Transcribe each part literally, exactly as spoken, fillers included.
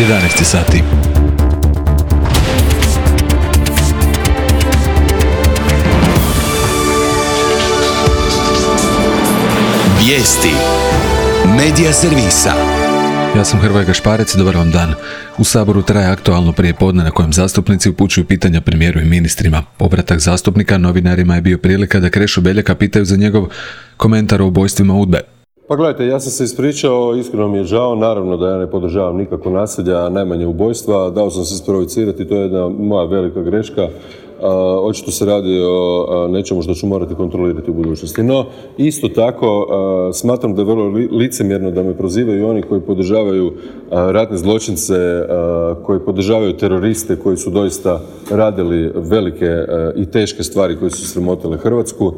jedanaest sati. Vijesti Medija servisa. Ja sam Hrvoje Gašparec, dobar vam dan. U Saboru traje aktualno prijepodne na kojem zastupnici upućuju pitanja premijeru i ministrima. Povratak zastupnika novinarima je bio prilika da Krešo Beljaka pitaju za njegov komentar o ubojstvima UDBE. Pa gledajte, ja sam se ispričao, iskreno mi je žao, naravno da ja ne podržavam nikako nasilja, najmanje ubojstva, dao sam se sprovocirati, to je jedna moja velika greška. Uh, očito se radi o uh, nečemu što ću morati kontrolirati u budućnosti. No, isto tako uh, smatram da je vrlo li, licemjerno da me prozivaju oni koji podržavaju uh, ratne zločince, uh, koji podržavaju teroriste koji su doista radili velike uh, i teške stvari koje su sramotile Hrvatsku.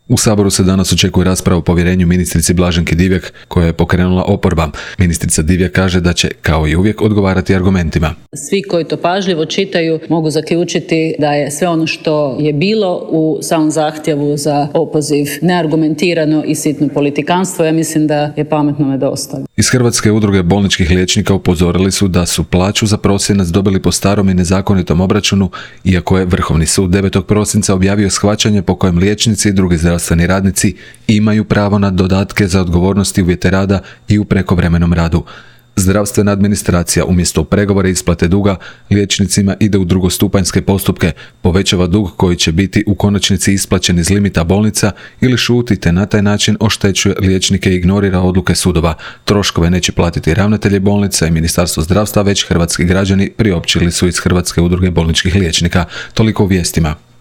U Saboru se danas očekuje rasprava o povjerenju ministrici Blaženki Divjak, koja je pokrenula oporba. Ministrica Divjak kaže da će, kao i uvijek, odgovarati argumentima. Svi koji to pažljivo čitaju mogu zaključiti da je sve ono što je bilo u samom zahtjevu za opoziv neargumentirano i sitno politikanstvo. Ja mislim da je pametnome dosta. Iz Hrvatske udruge bolničkih liječnika upozorili su da su plaću za prosinac dobili po starom i nezakonitom obračunu, iako je Vrhovni sud devetog prosinca objavio shvaćanje po kojem liječnici i drugi zdravstveni radnici imaju pravo na dodatke za odgovornosti, uvjete rada i u prekovremenom radu. Zdravstvena administracija umjesto pregovore isplate duga liječnicima ide u drugostupanjske postupke, povećava dug koji će biti u konačnici isplaćen iz limita bolnica ili šuti te na taj način oštećuje liječnike i ignorira odluke sudova. Troškove neće platiti ravnatelji bolnica i Ministarstvo zdravstva, već hrvatski građani, priopćili su iz Hrvatske udruge bolničkih liječnika. Toliko u vijestima.